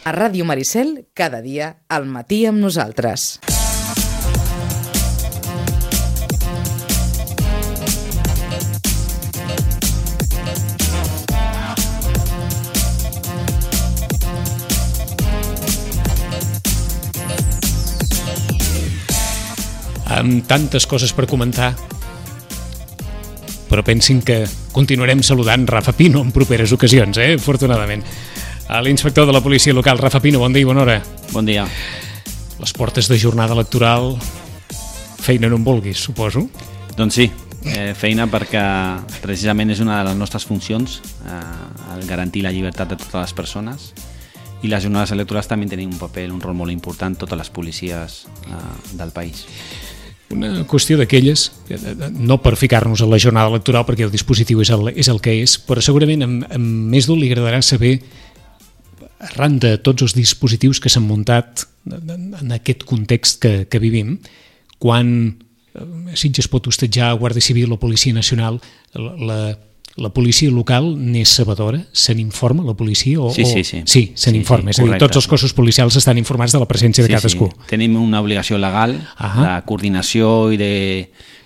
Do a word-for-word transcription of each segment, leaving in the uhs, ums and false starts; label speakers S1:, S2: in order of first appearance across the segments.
S1: A Ràdio Maricel, cada dia, al matí amb nosaltres.
S2: Amb tantes coses per comentar, però pensin que continuarem saludant Rafa Pino en properes ocasions, eh? Afortunadament. A l'inspector de la policia local, Rafa Pino, bon dia i bona hora.
S3: Bon dia.
S2: Les portes de jornada electoral, feina no en vulguis, suposo?
S3: Doncs sí, eh, feina perquè precisament és una de les nostres funcions, eh, el garantir la llibertat de totes les persones, i les jornades electorals també tenen un paper, un rol molt important, totes les policies eh, del país.
S2: Una qüestió d'aquelles, no per ficar-nos a la jornada electoral perquè el dispositiu és el, és el que és, però segurament amb, amb més d'un li agradarà saber, arran de tots els dispositius que s'han muntat en aquest context que, que vivim, quan Sitges pot hostatjar Guàrdia Civil o Policia Nacional, la, la, la policia local n'és sabedora? Se n'informa la policia? O,
S3: sí, sí, sí.
S2: O... Sí, se n'informa. Sí, sí, és a dir, tots els cossos policials estan informats de la presència de
S3: sí,
S2: cadascú.
S3: Sí. Tenim una obligació legal
S2: Ahà.
S3: de coordinació i de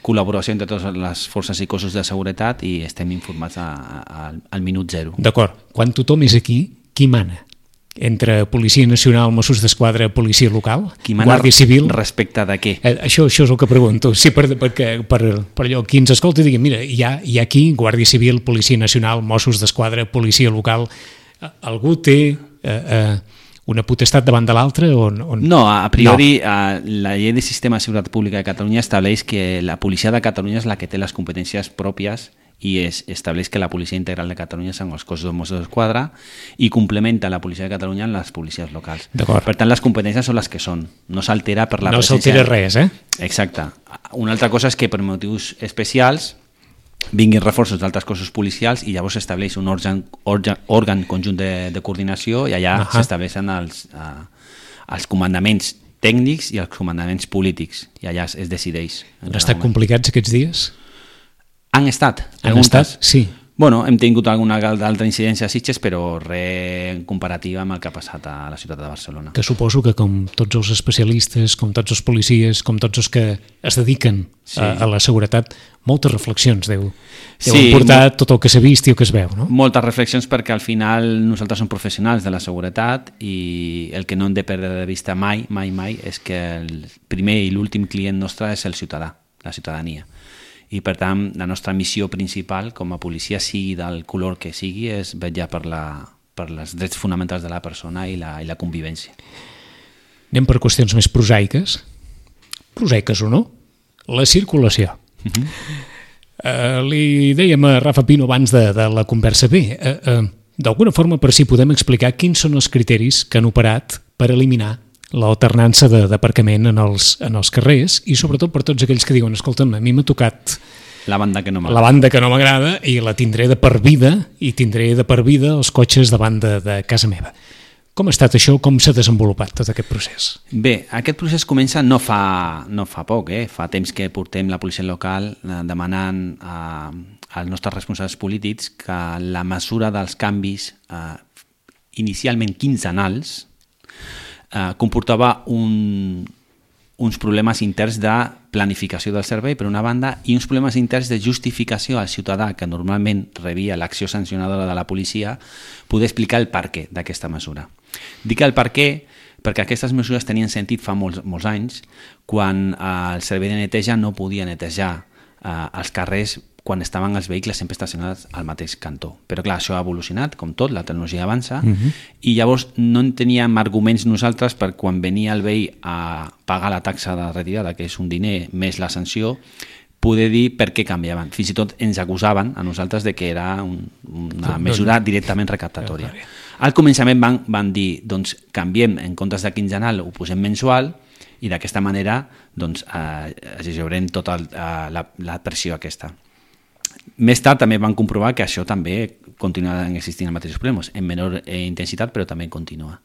S3: col·laboració entre totes les forces i cossos de seguretat i estem informats a, a, al minut zero.
S2: D'acord. Quan tothom és aquí, qui mana? Entre Policia Nacional, Mossos d'Esquadra, Policia Local,
S3: qui mana
S2: Guàrdia Civil...
S3: respecte de què?
S2: Eh, això, això és el que pregunto. Sí, per, perquè, per, per allò, qui ens escolta i digui, mira, hi ha, hi ha aquí Guàrdia Civil, Policia Nacional, Mossos d'Esquadra, Policia Local... Algú té eh, eh, una potestat davant de l'altre? O, o...
S3: No, a priori no. Eh, la llei de Sistema de Seguretat Pública de Catalunya estableix que la policia de Catalunya és la que té les competències pròpies i es estableix que la policia integral de Catalunya són els cossos de Mossos d'Esquadra i complementa la policia de Catalunya en les policies locals. Per tant, les competències són les que són. No s'altera per la
S2: no
S3: presència...
S2: No s'altera res, eh?
S3: Exacte. Una altra cosa és que per motius especials vinguin reforços d'altres cossos policials i llavors s'estableix un òrgan, òrgan, òrgan conjunt de, de coordinació i allà uh-huh. s'estableixen els, uh, els comandaments tècnics i els comandaments polítics i allà es, es decideix.
S2: Han estat complicats aquests dies?
S3: Han estat.
S2: Han estat, sí.
S3: Bueno, hem tingut alguna altra incidència a Sitges, però res en comparativa amb el que ha passat a la ciutat de Barcelona.
S2: Que suposo que com tots els especialistes, com tots els policies, com tots els que es dediquen sí. a, a la seguretat, moltes reflexions deu, deu sí, portar molt, tot el que s'ha vist i el que es veu, no?
S3: Moltes reflexions perquè al final nosaltres som professionals de la seguretat i el que no hem de perdre de vista mai, mai, mai, és que el primer i l'últim client nostre és el ciutadà, la ciutadania. I per tant la nostra missió principal com a policia, sigui del color que sigui, és vetllar per, la, per els drets fonamentals de la persona i la, i la convivència.
S2: Anem per qüestions més prosaiques, prosaiques o no, la circulació. Uh-huh. uh, li dèiem a Rafa Pino abans de, de la conversa bé, uh, uh, d'alguna forma per si podem explicar quins són els criteris que han operat per eliminar l'alternança d'aparcament en els, en els carrers i sobretot per tots aquells que diuen escolta'm, a mi m'ha tocat
S3: la banda que no m'agrada
S2: la banda que no m'agrada i la tindré de per vida i tindré de per vida els cotxes davant de, de casa meva. Com ha estat això? Com s'ha desenvolupat tot aquest procés?
S3: Bé, aquest procés comença no fa, no fa poc, eh? Fa temps que portem la policia local eh, demanant a, als nostres responsables polítics que la mesura dels canvis eh, inicialment quinzenals Uh, comportava un, uns problemes interns de planificació del servei per una banda i uns problemes interns de justificació al ciutadà que normalment rebia l'acció sancionadora de la policia poder explicar el perquè d'aquesta mesura. Dic el perquè perquè aquestes mesures tenien sentit fa molts, molts anys quan uh, el servei de neteja no podia netejar uh, els carrers quan estaven els vehicles sempre estacionats al mateix cantó. Però clar, això ha evolucionat, com tot, la tecnologia avança, uh-huh. i llavors no en teníem arguments nosaltres per quan venia el veí a pagar la taxa de retirada, que és un diner més la sanció, poder dir per què canviaven. Fins i tot ens acusaven a nosaltres de que era un, una mesura directament recaptatòria. Al començament van, van dir, doncs canviem, en comptes de quinzenal ho posem mensual, i d'aquesta manera doncs, eh, gestionem tota el, eh, la, la pressió aquesta. Més tard també van comprovar que això també continua existint els mateixos problemes, en menor eh, intensitat, però també continua.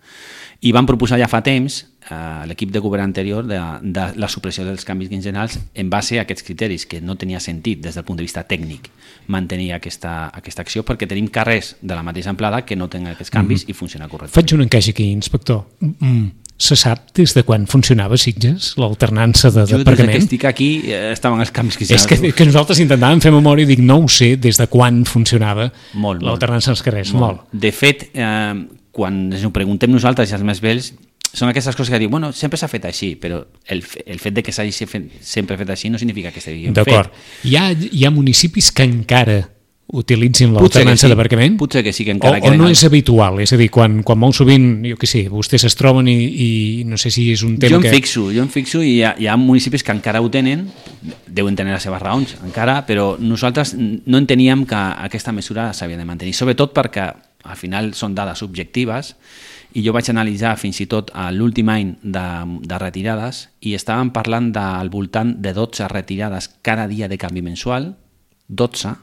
S3: I van proposar ja fa temps a l'equip de govern anterior de, de la supressió dels canvis quinzenals en base a aquests criteris, que no tenia sentit des del punt de vista tècnic mantenir aquesta, aquesta acció, perquè tenim carrers de la mateixa amplada que no tenen aquests canvis mm-hmm. i funciona correctament.
S2: Faig un encaix aquí, inspector. Mm. Se sap des de quan funcionava Sitges, l'alternança de,
S3: de
S2: jo, aparcament?
S3: Jo des que estic aquí eh, estaven els canvis que...
S2: És que, que nosaltres intentàvem fer memòria i dic, no ho sé des de quan funcionava l'alternança als carrers. Molt. molt.
S3: De fet, eh, quan ens ho preguntem nosaltres i els més vells, són aquestes coses que diuen, bueno, sempre s'ha fet així, però el, el fet de que s'hagi fet, sempre fet així no significa que estigui ben fet.
S2: D'acord. Hi ha, hi ha municipis que encara utilitzin l'alternança
S3: sí.
S2: d'aparcament?
S3: Potser que sí, que encara
S2: o, o no és habitual? És a dir, quan, quan molt sovint, jo què sé, vostès es troben i, i no sé si és un tema
S3: jo em
S2: que...
S3: Fixo, jo em fixo i hi ha, hi ha municipis que encara ho tenen, deuen tenir les seves raons encara, però nosaltres no enteníem que aquesta mesura s'havia de mantenir, sobretot perquè al final són dades objectives i jo vaig analitzar fins i tot l'últim any de, de retirades i estàvem parlant del voltant de dotze retirades cada dia de canvi mensual, dotze.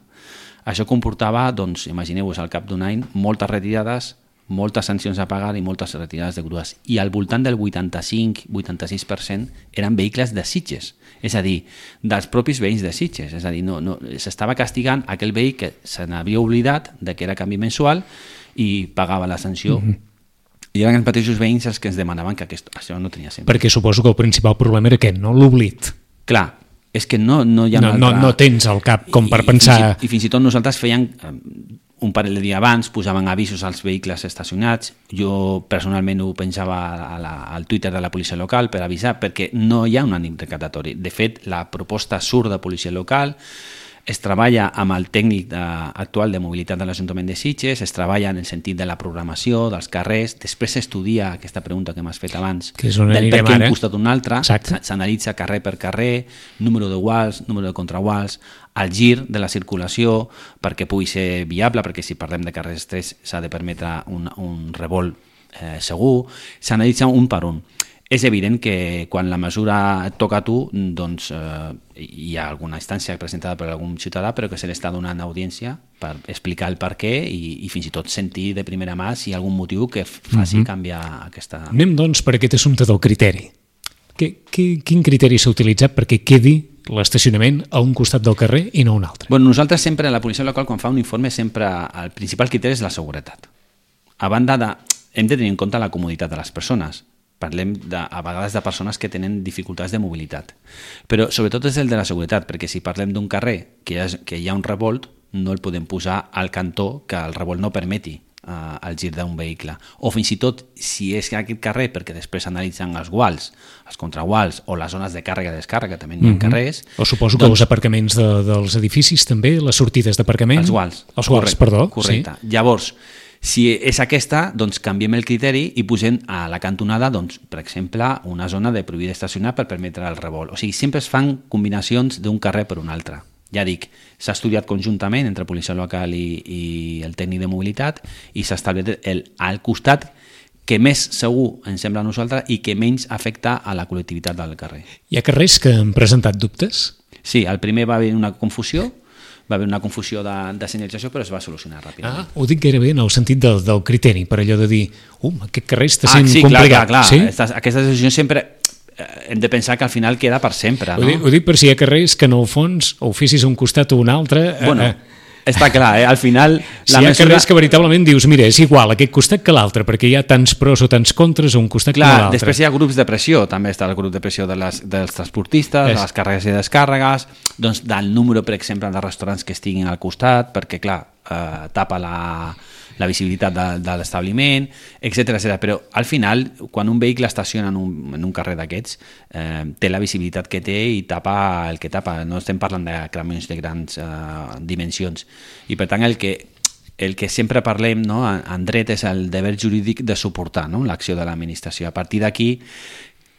S3: Això comportava, doncs, imagineu-vos, al cap d'un any, moltes retirades, moltes sancions a pagar i moltes retirades de grues. I al voltant del vuitanta-cinc vuitanta-sis per cent eren vehicles de Sitges, és a dir, dels propis veïns de Sitges. És a dir, no, no, s'estava castigant aquell veí que se n'havia oblidat de que era canvi mensual i pagava la sanció. Mm-hmm. I eren els mateixos veïns els que ens demanaven que aquest, això no tenia sentit.
S2: Perquè suposo que el principal problema era aquest, no? L'oblit.
S3: Clar, és que no, no hi ha
S2: no,
S3: una altra...
S2: No, no tens al cap com per
S3: I,
S2: pensar...
S3: I fins, i, I fins i tot nosaltres feien un parell de dies abans, posaven avisos als vehicles estacionats, jo personalment ho pensava a la, al Twitter de la policia local per avisar, perquè no hi ha un ànim recaptatori. De fet, la proposta surt de policia local, es treballa amb el tècnic de, actual de mobilitat de l'Ajuntament de Sitges, es treballa en el sentit de la programació, dels carrers, després s'estudia aquesta pregunta que m'has fet abans,
S2: que és on
S3: del per què
S2: ara.
S3: un costat un altre,
S2: Exacte.
S3: S'analitza carrer per carrer, número de guals, número de contraguals, el gir de la circulació perquè pugui ser viable, perquè si parlem de carrers estrets s'ha de permetre un, un revolt eh, segur, s'analitza un per un. És evident que quan la mesura et toca a tu, doncs eh, hi ha alguna instància presentada per algun ciutadà, però que se li està donant audiència per explicar el per què i, i fins i tot sentir de primera mà si hi ha algun motiu que faci mm-hmm. canviar aquesta...
S2: Anem, doncs, per aquest assumpte del criteri. Que, que, quin criteri s'ha utilitzat perquè quedi l'estacionament a un costat del carrer i no a un altre?
S3: Bueno, nosaltres sempre, la policia local, quan fa un informe, sempre el principal criteri és la seguretat. A banda de... Hem de tenir en compte la comoditat de les persones. Parlem de, a vegades de persones que tenen dificultats de mobilitat. Però sobretot és el de la seguretat, perquè si parlem d'un carrer que hi ha, que hi ha un revolt, no el podem posar al cantó que el revolt no permeti uh, el gir d'un vehicle. O fins i tot, si és aquest carrer, perquè després analitzen els guals, els contraguals o les zones de càrrega i descàrrega, també hi ha mm-hmm. carrers...
S2: O suposo que doncs, els aparcaments de, dels edificis també, les sortides d'aparcament...
S3: Els guals.
S2: Els guals,
S3: correcte,
S2: perdó.
S3: Correcte. Sí. Llavors, si és aquesta, doncs canviem el criteri i posem a la cantonada, doncs, per exemple, una zona de prohibir estacionar per permetre el revolt. O sigui, sempre es fan combinacions d'un carrer per un altre. Ja dic, s'ha estudiat conjuntament entre policia local i, i el tècnic de mobilitat i s'ha establert el, al costat que més segur ens sembla a nosaltres i que menys afecta a la col·lectivitat del carrer.
S2: Hi ha carrers que han presentat dubtes?
S3: Sí, al primer va haver una confusió, va haver una confusió de, de senyalització, però es va solucionar ràpidament.
S2: Ah, ho dic gairebé en el sentit del, del criteri, per allò de dir, um, aquest carrer està sent
S3: ah, sí,
S2: complicat.
S3: Clar, clar, clar.
S2: Sí?
S3: Aquestes, aquestes decisions sempre eh, hem de pensar que al final queda per sempre.
S2: Ho,
S3: no?
S2: dic, ho dic per si hi ha carrers que en el fons o ho fessis a un costat o un altre...
S3: Bueno,
S2: eh,
S3: està clar, eh? Al final...
S2: Si
S3: la
S2: hi ha
S3: mesura...
S2: carrers que veritablement dius, mira, és igual aquest costat que l'altre, perquè hi ha tants pros o tants contres a un costat
S3: clar,
S2: que l'altre.
S3: Després hi ha grups de pressió, també està el grup de pressió de les, dels transportistes, és. de les càrregues i descàrregues, doncs del número, per exemple, de restaurants que estiguin al costat, perquè, clar, eh, tapa la, la visibilitat de, de l'establiment, etcètera, etcètera. Però al final, quan un vehicle estaciona en un, en un carrer d'aquests, eh, té la visibilitat que té i tapa el que tapa. No estem parlant de camions de grans eh, dimensions. I per tant, el que, el que sempre parlem, no, en dret és el deber jurídic de suportar, no, l'acció de l'administració. A partir d'aquí,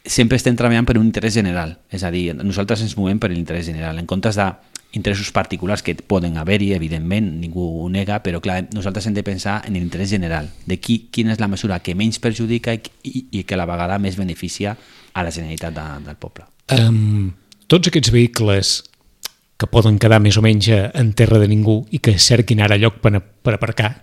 S3: sempre estem treballant per un interès general. És a dir, nosaltres ens movem per l'interès general. En comptes de interessos particulars que poden haver-hi, evidentment, ningú ho nega, però clar, nosaltres hem de pensar en l'interès general, de qui, quina és la mesura que menys perjudica i, i, i que a la vegada més beneficia a la Generalitat de, del poble.
S2: Um, tots aquests vehicles que poden quedar més o menys en terra de ningú i que cerquin ara lloc per, per aparcar,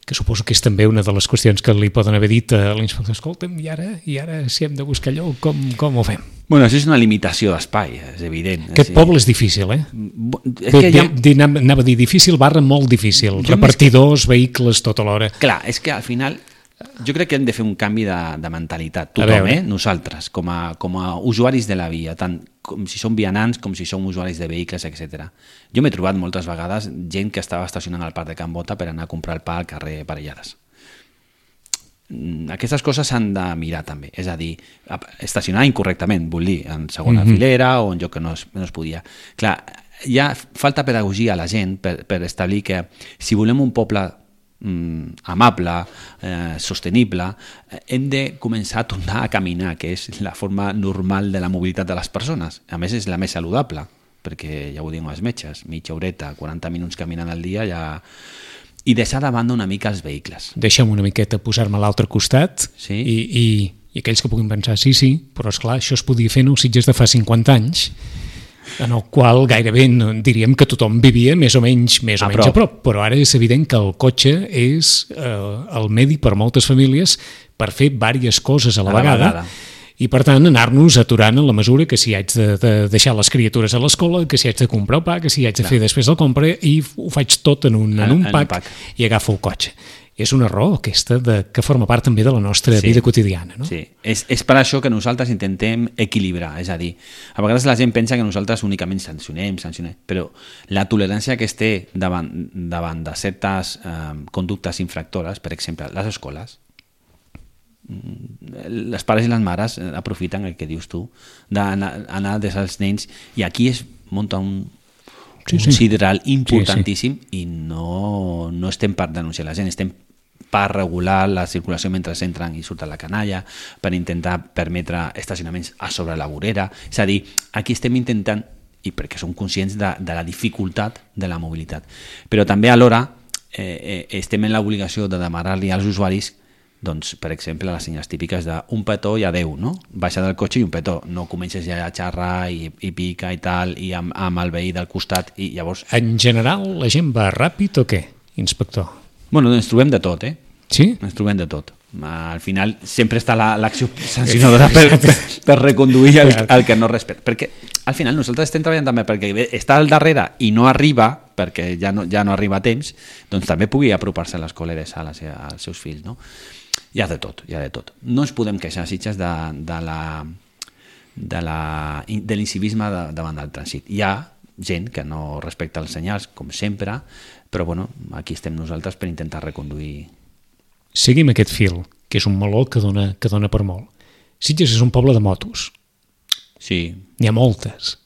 S2: que suposo que és també una de les qüestions que li poden haver dit a l'inspector. Escolta'm, i ara, i ara si hem de buscar lloc, com, com ho fem?
S3: Bueno, això és una limitació d'espai, és evident.
S2: Aquest poble és difícil, eh?
S3: És que
S2: Bé,
S3: ha...
S2: bé, anava a dir difícil barra molt difícil.
S3: Jo
S2: Repartidors, que... vehicles, tota l'hora.
S3: Clar, és que al final jo crec que hem de fer un canvi de, de mentalitat. Tothom, eh? Nosaltres, com a, com a usuaris de la via, tant com si som vianants com si som usuaris de vehicles, etcètera. Jo m'he trobat moltes vegades gent que estava estacionant al parc de Can Bota per anar a comprar el pa al carrer Parellades. Aquestes coses s'han de mirar també, és a dir, estacionar incorrectament, vull dir, en segona mm-hmm. filera o en lloc que no es, no es podia. Clar, hi ha falta pedagogia a la gent per, per establir que si volem un poble mm, amable, eh, sostenible, eh, hem de començar a tornar a caminar, que és la forma normal de la mobilitat de les persones. A més, és la més saludable, perquè ja ho diuen els metges, mitja horeta, quaranta minuts caminant al dia ja... I deixar de banda una mica els vehicles.
S2: Deixa'm una miqueta posar-me a l'altre costat
S3: sí?
S2: i, i, i aquells que puguin pensar, sí, sí, però esclar, això es podia fer en els Sitges de fa cinquanta anys, en el qual gairebé no, diríem que tothom vivia més o menys, més o
S3: a,
S2: menys
S3: prop.
S2: a prop, però ara és evident que el cotxe és eh, el medi per moltes famílies per fer diverses coses a la, a la vegada, vegada. I per tant anar-nos aturant en la mesura que si haig de, de deixar les criatures a l'escola, que si haig de comprar el pa, que si haig de Clar. fer després el compra, i ho faig tot en un, en, en un, pack, un pack i agafo el cotxe. És una raó aquesta de, que forma part també de la nostra sí. vida quotidiana. No?
S3: Sí, és, és per això que nosaltres intentem equilibrar, és a dir, a vegades la gent pensa que nosaltres únicament sancionem, sancionem, però la tolerància que es té davant, davant de certes eh, conductes infractores, per exemple, les escoles, les pares i les mares aprofiten el que dius tu d'anar anar des als nens i aquí es munta un, sí, un sí. sideral importantíssim sí, sí. i no, no estem per denunciar la gent, estem per regular la circulació mentre entren i surten la canalla, per intentar permetre estacionaments a sobre la vorera, és a dir, aquí estem intentant i perquè som conscients de, de la dificultat de la mobilitat, però també alhora eh, eh, estem en l'obligació de demanar-li als usuaris doncs, per exemple, les senyals típiques d'un petó i adeu, no? Baixa del cotxe i un petó, no comences ja a xerrar i, i pica i tal, i amb, amb el veí del costat, i llavors...
S2: En general, la gent va ràpid o què, inspector?
S3: Bueno, ens trobem de tot, eh?
S2: Sí?
S3: Ens trobem de tot. Al final sempre està l'acció la, sancionadora per, per, per reconduir el, el que no respecta. Perquè al final nosaltres estem treballant també perquè està al darrere i no arriba, perquè ja no, ja no arriba a temps, doncs també pugui apropar-se a l'escola i deixar als seus fills, no? Hi ha de tot, hi ha de tot. No ens podem queixar, Sitges, de, de la de la de l'incivisme de, davant del trànsit. Hi ha gent que no respecta els senyals, com sempre, però bueno, aquí estem nosaltres per intentar reconduir.
S2: Seguim aquest fil, que és un meló que dona, que dona per molt. Sitges és un poble de motos.
S3: Sí.
S2: N'hi ha moltes.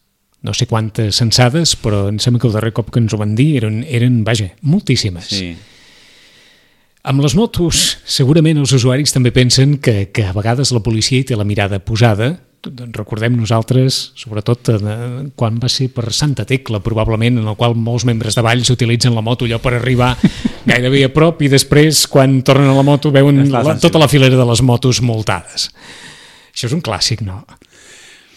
S2: No sé quantes censades, però em sembla que el darrer cop que ens ho van dir eren, eren vaja, moltíssimes.
S3: Sí.
S2: Amb les motos, segurament els usuaris també pensen que, que a vegades la policia hi té la mirada posada. Recordem nosaltres, sobretot eh, quan va ser per Santa Tecla, probablement, en el qual molts membres de Valls utilitzen la moto allò per arribar gairebé a prop i després, quan tornen a la moto, veuen la, tota la filera de les motos multades. Això és un clàssic, no?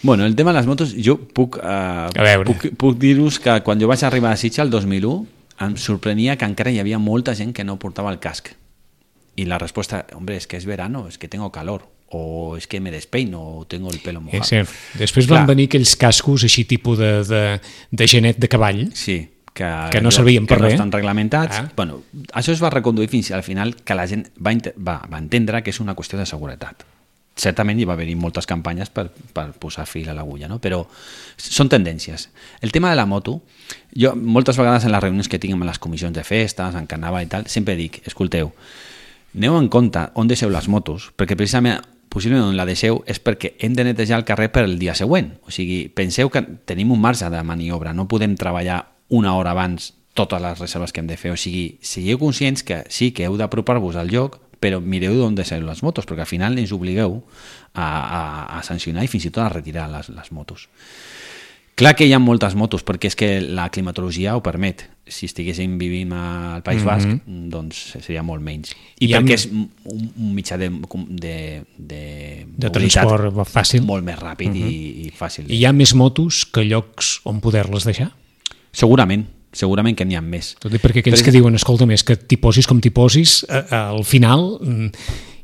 S3: Bueno, el tema de les motos, jo puc, eh, puc, puc dir-vos que quan jo vaig arribar a Sitges el dos mil u, em sorprenia que encara hi havia molta gent que no portava el casc. I la resposta, hombre, es que es verano, es que tengo calor, o es que me despeino, o tengo el pelo mojado.
S2: Sí, sí. Després Clar. van venir aquells cascos així tipus de, de, de genet de cavall,
S3: sí, que,
S2: que no servien per
S3: que
S2: res.
S3: Que no estan reglamentats.
S2: Ah.
S3: Bueno, això es va reconduir fins al final que la gent va, va, va entendre que és una qüestió de seguretat. Certament hi va haver moltes campanyes per, per posar fil a l'agulla, no? Però són tendències. El tema de la moto, jo moltes vegades en les reunions que tinc amb les comissions de festes, en carnaval i tal, sempre dic, escolteu, aneu en compte on deixeu les motos, perquè precisament possiblement on la deixeu és perquè hem de netejar el carrer per el dia següent. O sigui, penseu que tenim un marge de maniobra, no podem treballar una hora abans totes les reserves que hem de fer. O sigui, sigueu conscients que sí que heu d'apropar-vos al lloc, però mireu d'on deixeu les motos, perquè al final ens obligueu a, a, a sancionar i fins i tot a retirar les, les motos. Clar que hi ha moltes motos, perquè és que la climatologia ho permet. Si estiguéssim vivint al País Basc, mm-hmm. doncs seria molt menys. I, I perquè ha... és un, un mitjà de, de, de,
S2: de transport fàcil,
S3: molt més ràpid mm-hmm. i, i fàcil.
S2: I hi ha més motos que llocs on poder-les deixar?
S3: Segurament, segurament que n'hi ha més.
S2: Tot i perquè aquells però... que diuen, escolta, més que t'hi posis com t'hi posis, al final,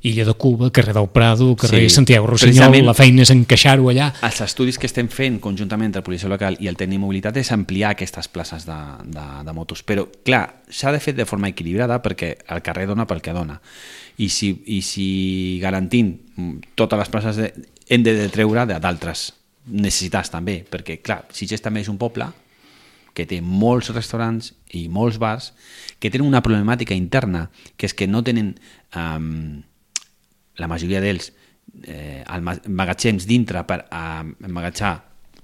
S2: Illa de Cuba, carrer del Prado, carrer sí, Santiago Rossinyol, la feina és encaixar-ho allà.
S3: Els estudis que estem fent conjuntament entre la policia local i el tècnic mobilitat és ampliar aquestes places de, de, de motos. Però, clar, s'ha de fer de forma equilibrada perquè el carrer dona pel que dona. I si, i si garantint totes les places de, hem de treure d'altres necessitats també, perquè, clar, Sitges també és un poble que té molts restaurants i molts bars que tenen una problemàtica interna, que és que no tenen, um, la majoria d'ells, eh, magatzems dintre per emmagatxar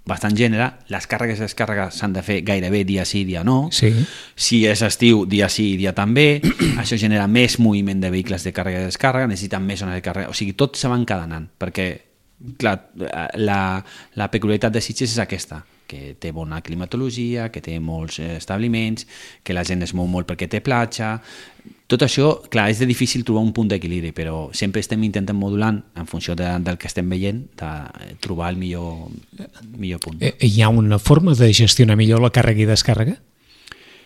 S3: bastant gènere, les càrregues i descàrregues s'han de fer gairebé dia sí, dia no.
S2: Sí.
S3: Si és estiu, dia sí, dia també. Això genera més moviment de vehicles de càrrega i descàrrega, necessiten més zones de càrrega. O sigui, tot se va encadenant, perquè clar, la, la peculiaritat de Sitges és aquesta, que té bona climatologia, que té molts establiments, que la gent es mou molt perquè té platja. Tot això, clar, és de difícil trobar un punt d'equilibri, però sempre estem intentant modulant en funció de, del que estem veient, de trobar el millor, millor punt.
S2: Hi ha una forma de gestionar millor la càrrega i descàrrega?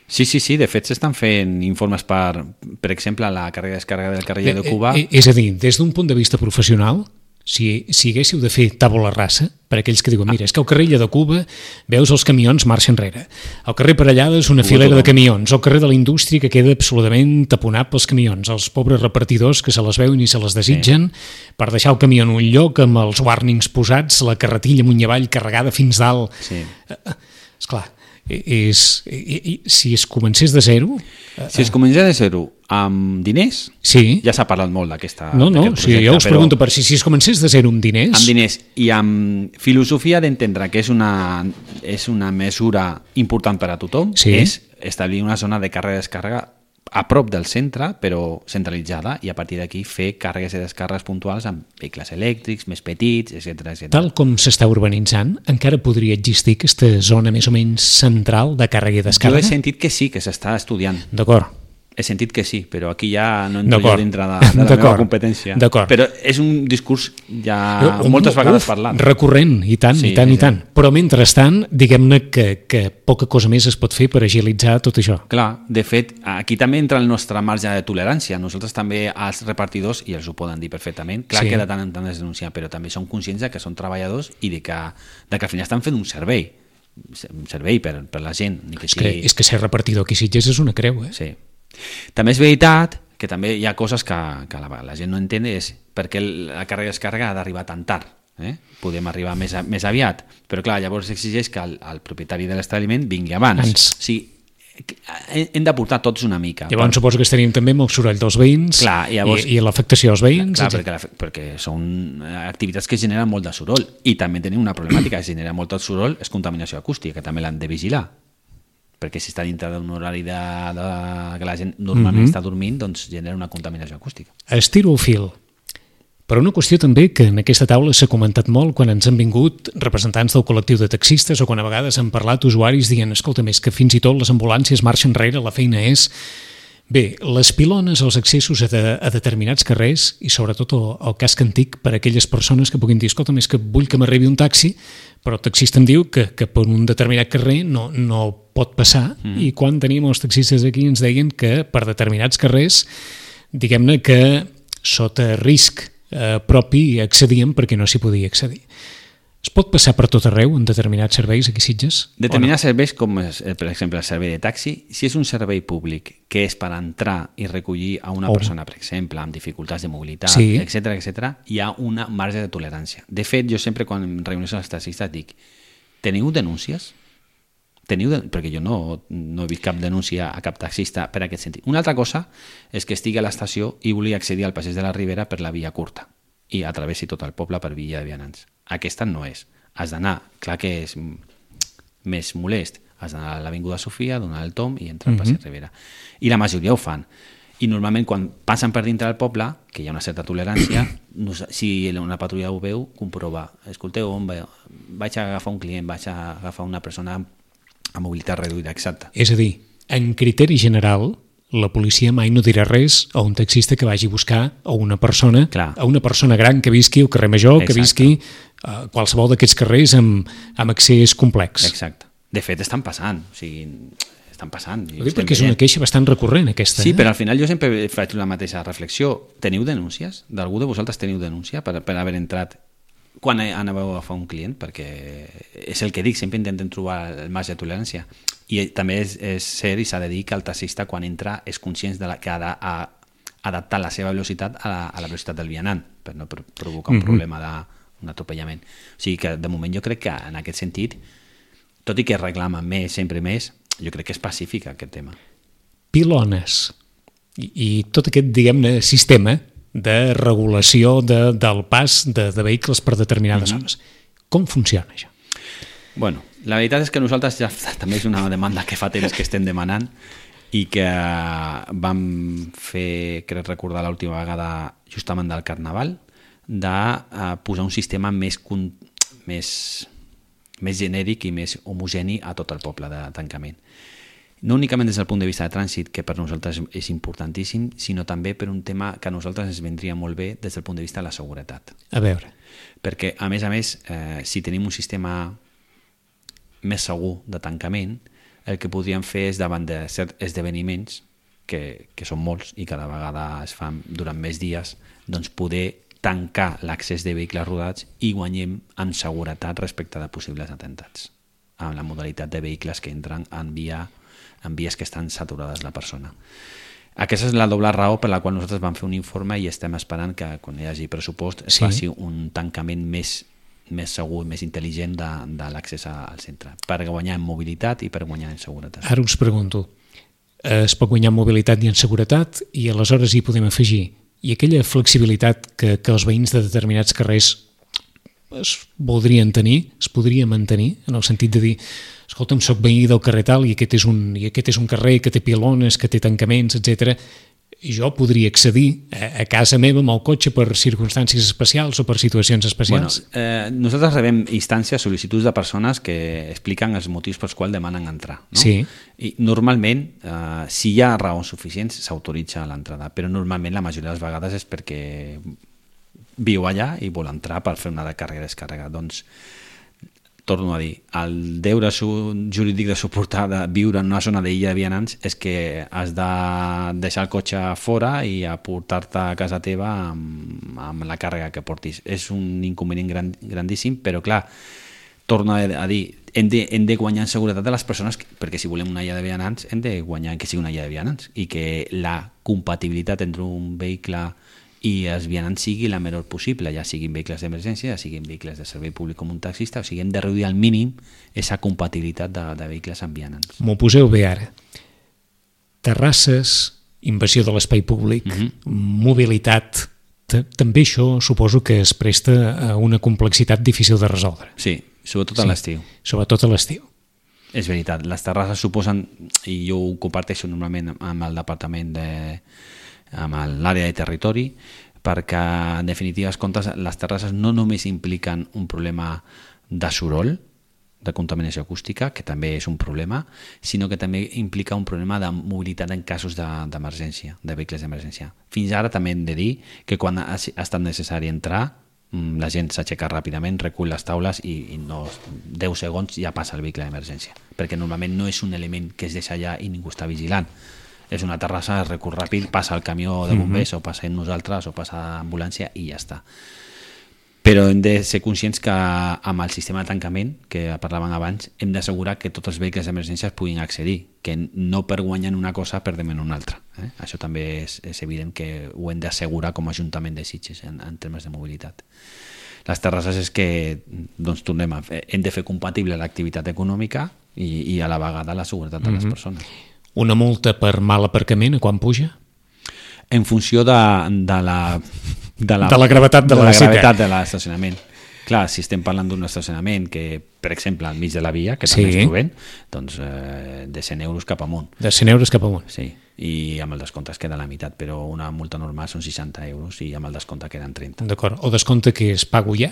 S3: Sí, sí, sí. De fet, s'estan fent informes per, per exemple, la càrrega i descàrrega del carrer de Cuba.
S2: És a dir, des d'un punt de vista professional, si, si haguéssiu de fer tàbula rasa, per aquells que diuen, mira, és que al carrer de Cuba veus els camions marxa enrere, al carrer Parellada és una filera de camions, al carrer de la Indústria que queda absolutament taponat pels camions, els pobres repartidors que se les veuen i se les desitgen sí. per deixar el camió en un lloc amb els warnings posats, la carretilla amunt i avall carregada fins dalt. Sí. Esclar, és, si es comencés de zero...
S3: Si es comencés de zero amb diners,
S2: sí.
S3: ja s'ha parlat molt d'aquesta...
S2: No, no, sí, jo us pregunto per si, si es comencés de zero amb diners...
S3: Amb diners i amb filosofia d'entendre que és una, és una mesura important per a tothom, sí. és establir una zona de càrrega i descàrrega a prop del centre, però centralitzada, i a partir d'aquí fer càrregues i descàrregues puntuals amb vehicles elèctrics, més petits, etcètera, etcètera.
S2: Tal com s'està urbanitzant, encara podria existir aquesta zona més o menys central de càrrega i descàrrega?
S3: Jo he sentit que sí, que s'està estudiant.
S2: D'acord.
S3: He sentit que sí, però aquí ja no entro jo dintre de, de la meva competència. Però és un discurs ja un, moltes vegades uf, parlat.
S2: Recurrent, i tant, sí, i tant, i tant. Però mentrestant, diguem-ne que, que poca cosa més es pot fer per agilitzar tot això.
S3: Clar, de fet, aquí també entra el nostre marge de tolerància. Nosaltres també, als repartidors, i els ho poden dir perfectament, clar sí. que de tant en tant es denuncia, però també som conscients de que són treballadors i de que, de que al final estan fent un servei. Un servei per, per la gent. Ni que
S2: és,
S3: sigui...
S2: que, és que ser repartidor aquí Sitges és una creu, eh?
S3: Sí. També és veritat que també hi ha coses que, que la, la gent no entén, és perquè la càrrega i descàrrega ha d'arribar tan tard. Eh? Podem arribar més, a, més aviat, però clar, llavors exigeix que el, el propietari de l'establiment vingui abans. abans. O sigui, hem de portar tots una mica.
S2: Llavors per... suposo que estaríem també amb el soroll dels veïns clar, i, llavors... i, i l'afectació als veïns.
S3: Clar, perquè, la, perquè són activitats que generen molt de soroll i també tenim una problemàtica, que genera molt de soroll, és contaminació acústica, que també l'han de vigilar. Perquè si està dintre d'un horari de, de, que la gent normalment mm-hmm. està dormint, doncs genera una contaminació acústica.
S2: Estiro el fil. Per una qüestió també que en aquesta taula s'ha comentat molt quan ens han vingut representants del col·lectiu de taxistes o quan a vegades han parlat usuaris dient, escolta, més que fins i tot les ambulàncies marxen enrere, la feina és... Bé, les pilones, els accessos a, de, a determinats carrers i sobretot el, el casc antic per a aquelles persones que puguin dir, escolta, més que vull que m'arribi un taxi, però el taxista em diu que, que per un determinat carrer no, no pot passar mm. i quan teníem els taxistes aquí ens deien que per determinats carrers, diguem-ne que sota risc eh, propi accedien perquè no s'hi podia accedir. Es pot passar per tot arreu en determinats serveis aquí a Sitges?
S3: Determinats no? serveis, com és, per exemple el servei de taxi, si és un servei públic que és per entrar i recollir a una oh. persona, per exemple, amb dificultats de mobilitat, sí. etcètera, etcètera, hi ha una marge de tolerància. De fet, jo sempre quan em reuneixo amb els taxistes dic, teniu denúncies? Teniu de... Perquè jo no, no he vist cap denúncia a cap taxista per aquest sentit. Una altra cosa és que estigui a l'estació i vulgui accedir al passeig de la Ribera per la via curta i atravessi tot el poble per via de vianants. Aquesta no és. Has d'anar, clar que és més molest, has d'anar a l'Avinguda Sofia, donar el tomb i entrar al passeig mm-hmm. Ribera. I la majoria ho fan. I normalment quan passen per dintre del poble, que hi ha una certa tolerància, si una patrulla ho veu, comprova. Escolteu, on vaig a agafar un client, vaig a agafar una persona amb mobilitat reduïda, exacte.
S2: És a dir, en criteri general, la policia mai no dirà res a un taxista que vagi a buscar a una persona, Clar. a una persona gran que visqui al carrer Major, Exacte. que visqui a qualsevol d'aquests carrers amb, amb accés complex.
S3: Exacte. De fet, estan passant, o sigui, estan passant.
S2: Ho dic perquè és una queixa bastant recurrent, aquesta.
S3: Sí,
S2: eh?
S3: però al final jo sempre faig la mateixa reflexió. Teniu denúncies? D'algú de vosaltres teniu denúncia per, per haver entrat quan anàveu a agafar un client? Perquè és el que dic, sempre intentem trobar el marge de tolerància. I també és, és cert i s'ha de dir que el taxista quan entra és conscient de la, que ha d'adaptar la seva velocitat a la, a la velocitat del vianant per no provocar un mm-hmm. problema d'un atropellament. O sigui que de moment jo crec que en aquest sentit, tot i que reclama més, sempre més, jo crec que és pacífic aquest tema.
S2: Pilones i, i tot aquest, diguem-ne, sistema de regulació de, del pas de, de vehicles per determinades mm-hmm. zones. Com funciona això?
S3: Bueno, la veritat és que nosaltres ja també és una demanda que fa temps que estem demanant i que vam fer, crec recordar l'última vegada justament del Carnaval, de uh, posar un sistema més, més, més genèric i més homogeni a tot el poble de tancament. No únicament des del punt de vista de trànsit, que per nosaltres és importantíssim, sinó també per un tema que a nosaltres ens vendria molt bé des del punt de vista de la seguretat.
S2: A veure.
S3: Perquè, a més a més, eh, si tenim un sistema més segur de tancament, el que podríem fer és davant de certs esdeveniments, que, que són molts i cada vegada es fan durant més dies, doncs poder tancar l'accés de vehicles rodats i guanyem en seguretat respecte de possibles atemptats, amb la modalitat de vehicles que entren en, via, en vies que estan saturades la persona. Aquesta és la doble raó per la qual nosaltres vam fer un informe i estem esperant que quan hi hagi pressupost es sí. faci un tancament més més segur, més intel·ligent de, de l'accés al centre, per guanyar en mobilitat i per guanyar en seguretat.
S2: Ara us pregunto, es pot guanyar en mobilitat i en seguretat i aleshores hi podem afegir, i aquella flexibilitat que, que els veïns de determinats carrers es voldrien tenir, es podria mantenir, en el sentit de dir, escolta'm, soc veí del carrer tal i aquest és un, i aquest és un carrer que té pilones, que té tancaments, etcètera. Jo podria accedir a, a casa meva amb el cotxe per circumstàncies especials o per situacions especials?
S3: Bueno, eh, nosaltres rebem instàncies, sol·licituds de persones que expliquen els motius pels quals demanen entrar. No?
S2: Sí.
S3: I normalment, eh, si hi ha raons suficients, s'autoritza l'entrada, però normalment la majoria de les vegades és perquè viu allà i vol entrar per fer una càrrega i descàrrega. Doncs torno a dir, el deure jurídic de suportar de viure en una zona d'illa de vianants és que has de deixar el cotxe fora i aportar-te a casa teva amb, amb la càrrega que portis. És un inconvenient gran, grandíssim, però clar, torno a dir, hem de, hem de guanyar en seguretat de les persones, perquè si volem una illa de vianants hem de guanyar que sigui una illa de vianants i que la compatibilitat entre un vehicle i els vianants sigui la menor possible, ja siguin vehicles d'emergència, ja siguin vehicles de servei públic com un taxista, o sigui, hem de reduir al mínim aquesta compatibilitat de, de vehicles amb vianants.
S2: M'ho poseu bé ara. Terrasses, invasió de l'espai públic, mm-hmm. mobilitat, també això suposo que es presta a una complexitat difícil de resoldre.
S3: Sí, sobretot a
S2: sí,
S3: l'estiu.
S2: Sobretot a l'estiu.
S3: És veritat, les terrasses suposen, i jo ho comparteixo normalment amb el departament de amb l'àrea de territori, perquè en definitives comptes les terrasses no només impliquen un problema de soroll, de contaminació acústica, que també és un problema, sinó que també implica un problema de mobilitat en casos d'emergència, de, de vehicles d'emergència. Fins ara també hem de dir que quan ha, ha estat necessari entrar, la gent s'aixeca ràpidament, recull les taules i, i no, deu segons ja passa el vehicle d'emergència, perquè normalment no és un element que es deixa allà i ningú està vigilant. És una terrassa, recurs ràpid, passa el camió de bombers, mm-hmm. o passem nosaltres, o passa l'ambulància i ja està. Però hem de ser conscients que amb el sistema de tancament, que parlàvem abans, hem d'assegurar que tots els vehicles d'emergència puguin accedir, que no per guanyar una cosa perdem en una altra. Eh? Això també és, és evident que ho hem d'assegurar com a Ajuntament de Sitges en, en termes de mobilitat. Les terrasses és que, doncs, tornem a fer, hem de fer compatible l'activitat econòmica i, i a la vegada la seguretat de les mm-hmm. persones.
S2: Una multa per mal aparcament, a quan puja?
S3: En funció de, de, la, de, la,
S2: de la gravetat de, de la, la
S3: gravetat de l'estacionament. Clar, si estem parlant d'un estacionament que, per exemple, al mig de la via, que sí. també es trobem, doncs eh, de cent euros cap amunt.
S2: De cent euros cap amunt.
S3: Sí, i amb el descompte es queda la meitat, però una multa normal són seixanta euros i amb el descompte queden trenta.
S2: D'acord, o descompte que es pago ja?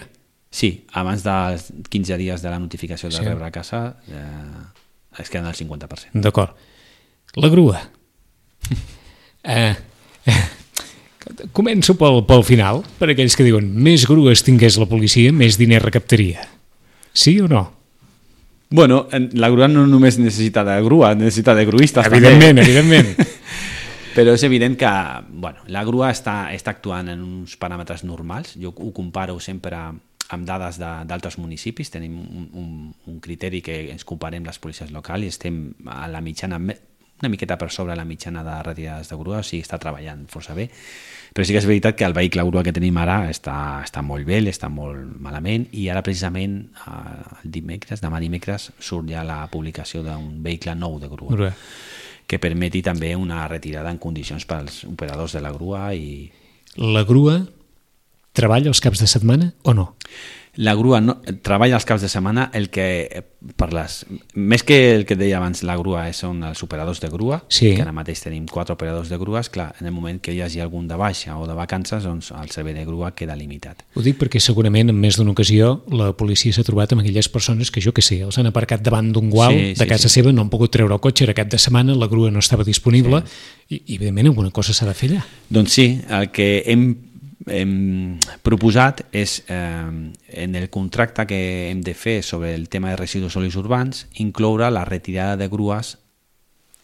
S3: Sí, abans dels quinze dies de la notificació de sí. rebre a casa eh, es queden el cinquanta per cent.
S2: D'acord. La grua. eh, eh, començo pel, pel final, per aquells que diuen més grues tingués la policia, més diner recaptaria. Sí o no?
S3: Bueno, la grua no només necessita de grua, necessita de gruistes.
S2: Evidentment, també. evidentment.
S3: Però és evident que bueno, la grua està, està actuant en uns paràmetres normals. Jo ho comparo sempre amb dades d'altres municipis. Tenim un, un, un criteri que ens comparem les policies locals i estem a la mitjana, una miqueta per sobre la mitjana de retirades de grua, o sigui, està treballant força bé. Però sí que és veritat que el vehicle grua que tenim ara està, està molt bé, està molt malament, i ara precisament el dimecres, demà dimecres, surt ja la publicació d'un vehicle nou de grua, grua, que permeti també una retirada en condicions pels operadors de la grua. I
S2: la grua treballa els caps de setmana o no?
S3: La grua no, treballa els caps de setmana. El que, per les, més que el que deia abans, la grua són els operadors de grua, sí. Que ara mateix tenim quatre operadors de grues. Clar, en el moment que hi hagi algun de baixa o de vacances, doncs el servei de grua queda limitat.
S2: Ho dic perquè segurament en més d'una ocasió la policia s'ha trobat amb aquelles persones que, jo que sé, els han aparcat davant d'un gual sí, de casa sí, seva, no han pogut treure el cotxe, era cap de setmana, la grua no estava disponible, sí. i, i evidentment alguna cosa s'ha de fer allà.
S3: Doncs sí, el que hem hem proposat és eh, en el contracte que hem de fer sobre el tema de residus sòlids urbans incloure la retirada de grues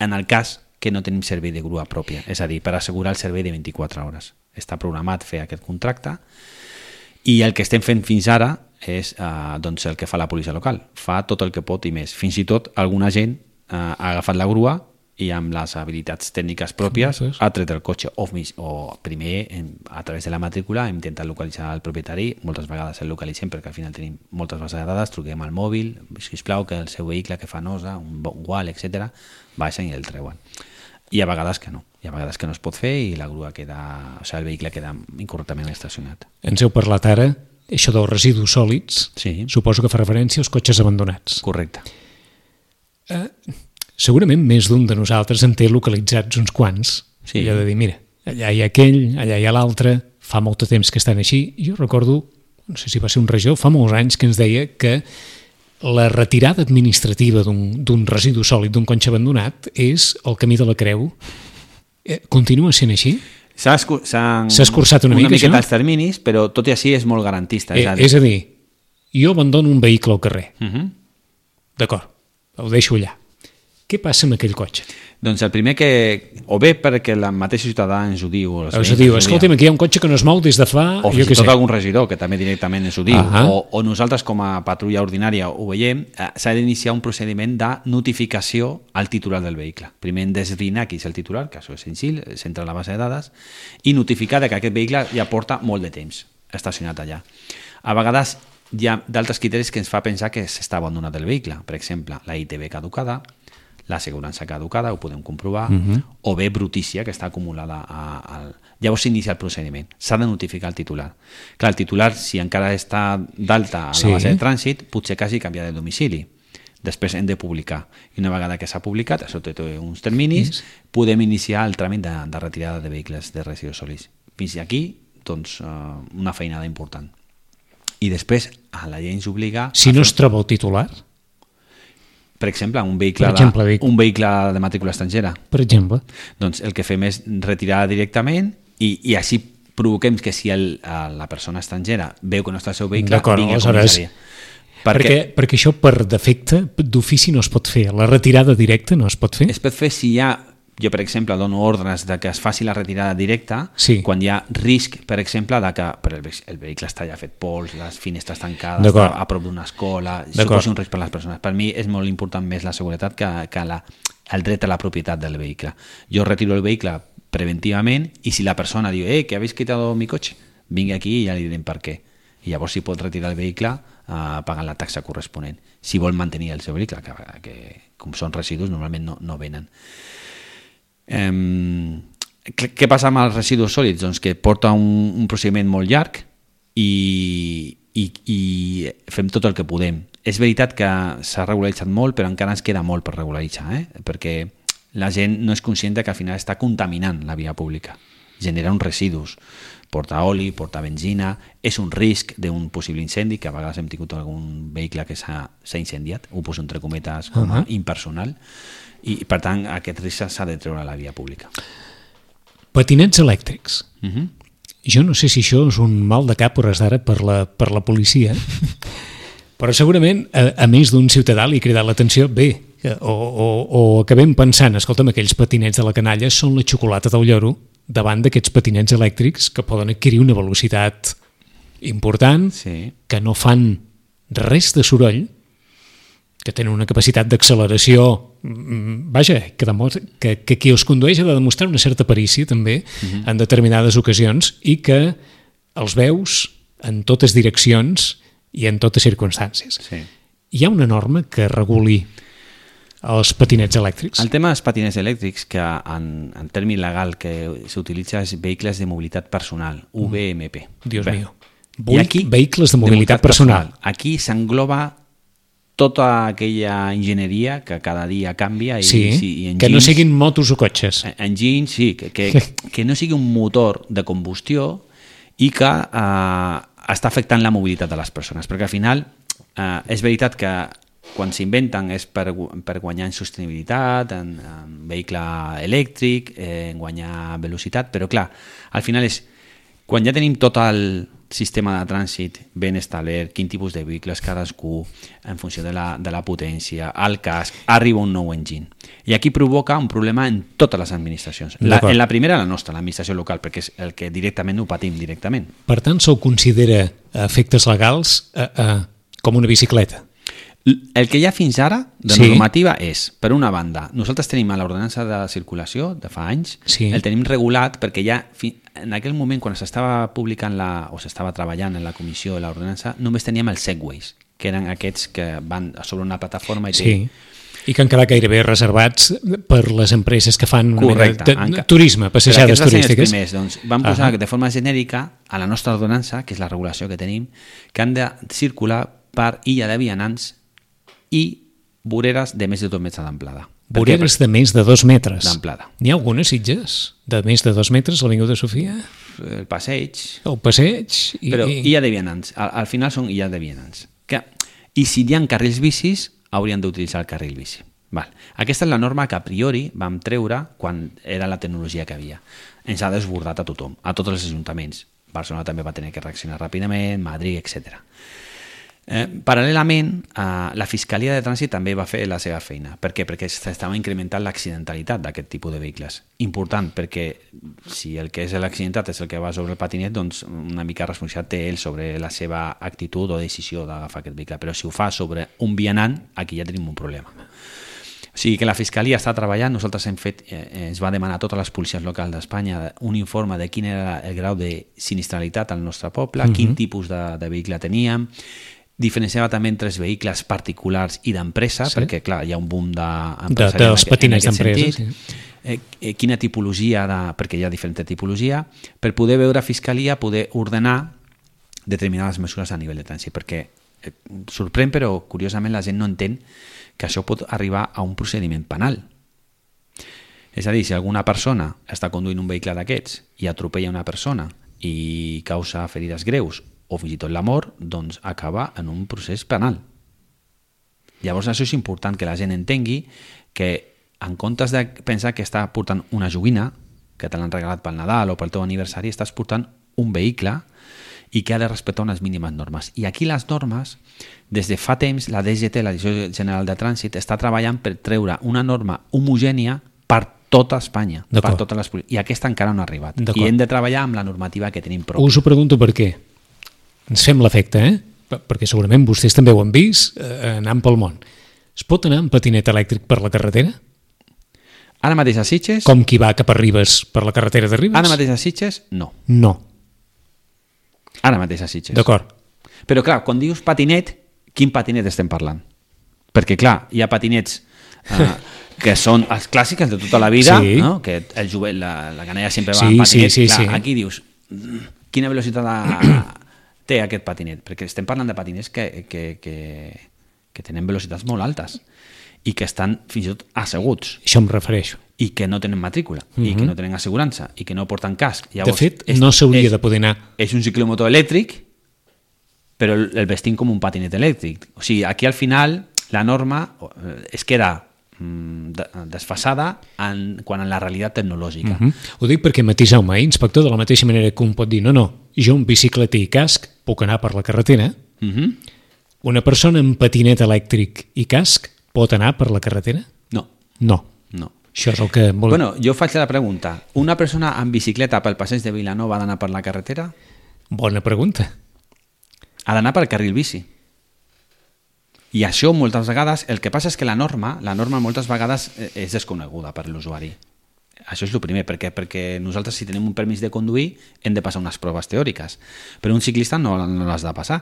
S3: en el cas que no tenim servei de grua pròpia, és a dir, per assegurar el servei de vint-i-quatre hores. Està programat fer aquest contracte i el que estem fent fins ara és eh, doncs el que fa la policia local, fa tot el que pot i més, fins i tot alguna gent eh, ha agafat la grua i amb les habilitats tècniques pròpies ha tret el cotxe o, o primer a través de la matrícula hem intentat localitzar el propietari, moltes vegades el localitzem perquè al final tenim moltes bases de dades, truquem al mòbil, sisplau que el seu vehicle que fa nosa, un gual, etcètera, baixen i el treuen. I a vegades que no, i a vegades que no es pot fer i la grua queda, o sigui, el vehicle queda incorrectament estacionat.
S2: Ens heu parlat ara, això dels residus sòlids, sí. Suposo que fa referència als cotxes abandonats.
S3: Correcte.
S2: Eh... Segurament més d'un de nosaltres en té localitzats uns quants. Sí. Allò de dir, mira, allà hi ha aquell, allà hi ha l'altre, fa molt de temps que estan així. Jo recordo, no sé si va ser un regidor, fa molts anys que ens deia que la retirada administrativa d'un residu sòlid d'un cotxe abandonat és el camí de la creu. Eh, continua sent així?
S3: S'ha escurçat
S2: una,
S3: una
S2: mica,
S3: miqueta els terminis, però tot i així és molt garantista.
S2: Eh, és, a dir... és a dir, jo abandono un vehicle al carrer. Uh -huh. D'acord, ho deixo allà. Què passa amb aquell cotxe?
S3: Doncs el primer que... O bé perquè la mateixa ciutadà ens ho diu...
S2: O ens ho diu, escolta'm, aquí hi ha un cotxe que no es mou des de fa...
S3: O fins i tot algun regidor que també directament ens ho diu. Uh -huh. o, o nosaltres com a patrulla ordinària ho veiem, eh, s'ha d'iniciar un procediment de notificació al titular del vehicle. Primer hem d'esbrinar qui és el titular, que això és senzill, s'entra a la base de dades, i notificar que aquest vehicle ja porta molt de temps estacionat allà. A vegades hi ha d'altres criteris que ens fa pensar que s'està abandonat el vehicle. Per exemple, la I T V caducada, l'assegurança caducada, ho podem comprovar, uh -huh. o bé brutícia, que està acumulada a, a... Llavors s'inicia el procediment. S'ha de notificar el titular. Clar, el titular, si encara està d'alta a la sí. base de trànsit, potser quasi canvia de domicili. Després hem de publicar. I una vegada que s'ha publicat, això té uns terminis, sí. podem iniciar el tràmit de, de retirada de vehicles de residus sòlids. Fins aquí, doncs, una feinada important. I després, a la llei ens obliga...
S2: Si no fer... es troba el titular...
S3: Per exemple, un vehicle, per exemple, de, un vehicle de matrícula estrangera.
S2: Per exemple.
S3: Doncs el que fem és retirar directament i, i així provoquem que si el, la persona estrangera veu que no està el seu vehicle, vingui a comissària.
S2: Perquè, perquè, perquè això per defecte d'ofici no es pot fer. La retirada directa no es pot fer?
S3: Es pot fer si hi ha... Jo, per exemple, dono ordres de que es faci la retirada directa sí. quan hi ha risc, per exemple, de que el, el vehicle està ja fet pols, les finestres tancades, està a prop d'una escola, suposi un risc per a les persones. Per mi és molt important més la seguretat que, que la, el dret a la propietat del vehicle. Jo retiro el vehicle preventivament i si la persona diu eh, que habéis quitado mi coche, vingui aquí i ja li direm per què. I llavors si pot retirar el vehicle eh, pagant la taxa corresponent. Si vol mantenir el seu vehicle, que, que com són residus normalment no, no venen. Um, què passa amb els residus sòlids? Doncs que porta un, un procediment molt llarg i, i, i fem tot el que podem. És veritat que s'ha regularitzat molt, però encara ens queda molt per regularitzar, eh? Perquè la gent no és conscient que al final està contaminant la via pública, genera uns residus, porta oli, porta benzina, és un risc d'un possible incendi, que a vegades hem tingut algun vehicle que s'ha incendiat, ho poso entre cometes com a uh -huh. impersonal, i per tant aquest risc s'ha de treure a la via pública.
S2: Patinets elèctrics.
S3: Uh -huh.
S2: Jo no sé si això és un mal de cap hores d'ara per la, per la policia, Però segurament, a, a més d'un ciutadà li ha cridat l'atenció, bé, o, o, o acabem pensant, escolta'm, aquells patinets de la canalla són la xocolata del lloro davant d'aquests patinets elèctrics que poden adquirir una velocitat important,
S3: Sí.
S2: que no fan res de soroll, que tenen una capacitat d'acceleració, mm, vaja, que, demostra, que, que qui els condueix ha de demostrar una certa perícia també
S3: Mhm.
S2: en determinades ocasions i que els veus en totes direccions i en totes circumstàncies.
S3: Sí.
S2: Hi ha una norma que reguli els patinets elèctrics?
S3: El tema dels patinets elèctrics, que en, en termi legal que s'utilitza és vehicles de mobilitat personal, U V M P.
S2: Dios
S3: Bé.
S2: mío. Vull vehicles de mobilitat personal.
S3: Aquí s'engloba tota aquella enginyeria que cada dia canvia i,
S2: Sí,
S3: sí, i
S2: que no siguin motos o cotxes.
S3: engines, sí, que, que, que no sigui un motor de combustió i que eh, està afectant la mobilitat de les persones, perquè al final eh, és veritat que quan s'inventen és per, per guanyar en sostenibilitat, en, en vehicle elèctric, eh, en guanyar velocitat, però clar, al final és quan ja tenim tot el sistema de trànsit ben establert, quin tipus de vehicles cadascú, en funció de la, de la potència, el casc, arriba un nou engine. I aquí provoca un problema en totes les administracions. La, en la primera, la nostra, l'administració local, perquè és el que directament ho patim directament.
S2: Per tant, se'l considera a efectes legals eh, eh, com una bicicleta?
S3: El que hi ha fins ara de
S2: Sí.
S3: normativa és, per una banda, nosaltres tenim a l'ordenança de circulació de fa anys,
S2: Sí.
S3: el tenim regulat perquè ja fi- en aquell moment quan s'estava publicant la, o s'estava treballant en la comissió de l'ordenança, només teníem els segways, que eren aquests que van sobre una plataforma i té...
S2: Sí. I que han quedat gairebé reservats per les empreses que fan una
S3: Correcte.
S2: mena de, de turisme, passejades
S3: Però aquests van ser els
S2: turístiques.
S3: primers, doncs, vam posar
S2: Ah.
S3: de forma genèrica a la nostra ordenança, que és la regulació que tenim, que han de circular per illa de vianants i voreres de més de dos metres d'amplada. Per què?
S2: Voreres de més de dos metres.
S3: D'amplada.
S2: N'hi ha algunes, Sitges, de més de dos metres, a l'Avinguda Sofia?
S3: El passeig...
S2: El passeig? I,
S3: Però
S2: i...
S3: illa de vianants, al, al final són illes de vianants. Que, I si hi ha carrils bicis, haurien d'utilitzar el carril bici. Val. Aquesta és la norma que a priori vam treure quan era la tecnologia que havia. Ens ha desbordat a tothom, a tots els ajuntaments. Barcelona també va tenir que reaccionar ràpidament, Madrid, etcètera. Eh, paral·lelament, eh, la Fiscalia de Trànsit també va fer la seva feina. Per què? Perquè s'estava incrementant l'accidentalitat d'aquest tipus de vehicles. Important, perquè si el que és l'accidentat és el que va sobre el patinet, doncs una mica responsabilitat té ell sobre la seva actitud o decisió d'agafar aquest vehicle. Però si ho fa sobre un vianant, aquí ja tenim un problema. O sigui que la Fiscalia està treballant, nosaltres hem fet, eh, ens va demanar a totes les policies locals d'Espanya un informe de quin era el grau de sinistralitat al nostre poble, uh-huh. quin tipus de, de vehicle teníem, diferenciava també entre els vehicles particulars i d'empresa, sí. perquè clar, hi ha un boom d'empresari
S2: de, dels patinets d'empresa, sí.
S3: eh, eh, quina tipologia, de, perquè hi ha diferent tipologia, per poder veure Fiscalia, poder ordenar determinades mesures a nivell de trànsit, perquè eh, sorprèn, però curiosament la gent no entén que això pot arribar a un procediment penal. És a dir, si alguna persona està conduint un vehicle d'aquests i atropella una persona i causa ferides greus o fins i tot la mort, doncs acaba en un procés penal. Llavors això és important que la gent entengui que en comptes de pensar que està portant una joguina, que te l'han regalat pel Nadal o pel teu aniversari, estàs portant un vehicle i que ha de respectar unes mínimes normes. I aquí les normes, des de fa temps, la D G T, la Direcció General de Trànsit, està treballant per treure una norma homogènia per tota Espanya, per totes les policies. I aquesta encara no ha arribat. I hem de treballar amb la normativa que tenim pròpia.
S2: Us ho pregunto per què. Ens fem l'efecte, eh? Perquè segurament vostès també ho han vist eh, anant pel món. Es pot anar amb patinet elèctric per la carretera?
S3: Ara mateix a Sitges...
S2: Com qui va cap a Ribes per la carretera de Ribes?
S3: Ara mateix a Sitges, no.
S2: No.
S3: Ara mateix a Sitges.
S2: D'acord.
S3: Però clar, quan dius patinet, quin patinet estem parlant? Perquè clar, hi ha patinets eh, que són els clàssics de tota la vida,
S2: sí.
S3: no? Que el jovent, la, la canalla sempre va
S2: sí,
S3: amb patinet.
S2: Sí, sí,
S3: clar,
S2: sí.
S3: Aquí dius, quina velocitat ha, té aquest patinet? Perquè estem parlant de patinets que, que, que, que tenen velocitats molt altes i que estan fins i tot asseguts.
S2: Això em refereixo.
S3: I que no tenen matrícula, uh-huh. i que no tenen assegurança, i que no porten casc. Llavors,
S2: de fet,
S3: és,
S2: no s'hauria de poder anar.
S3: És un ciclomotor elèctric, però el, el vestim com un patinet elèctric. O sigui, aquí al final la norma es queda mm, desfasada en, quan en la realitat tecnològica.
S2: Uh-huh. Ho dic perquè matiseu-me, eh, inspector, de la mateixa manera que un pot dir no, no, jo amb bicicleta i casc puc anar per la carretera,
S3: uh-huh.
S2: Una persona amb patinet elèctric i casc pot anar per la carretera?
S3: No.
S2: No.
S3: No.
S2: Això és el que... Vol...
S3: Bueno, jo faig la pregunta. Una persona amb bicicleta pel passeig de Vilanova ha d'anar per la carretera?
S2: Bona pregunta.
S3: Ha d'anar pel carril bici. I això moltes vegades, el que passa és que la norma, la norma moltes vegades és desconeguda per l'usuari. Això és el primer, perquè, perquè nosaltres si tenim un permís de conduir hem de passar unes proves teòriques, però un ciclista no, no les ha de passar.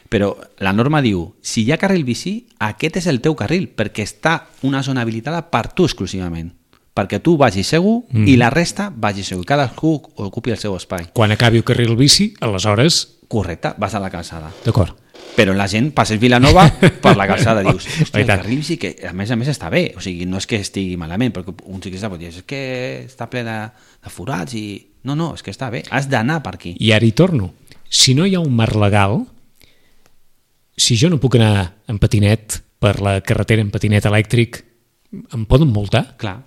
S3: Però la norma diu, si hi ha carril bici, aquest és el teu carril, perquè està una zona habilitada per tu exclusivament, perquè tu vagis segur mm. i la resta vagi segur, cadascú ocupi el seu espai.
S2: Quan acabi el carril bici, aleshores...
S3: Correcte, vas a la calçada.
S2: D'acord.
S3: Però la gent passeig Vilanova per la calçada, dius, hòstia, el carril bici que a més a més està bé, o sigui, no és que estigui malament, perquè un ciclista pot dir, és que està ple de, de forats i... No, no, és que està bé, has d'anar per aquí.
S2: I ara hi torno. Si no hi ha un marc legal, si jo no puc anar en patinet per la carretera en patinet elèctric, em poden multar?
S3: Clar,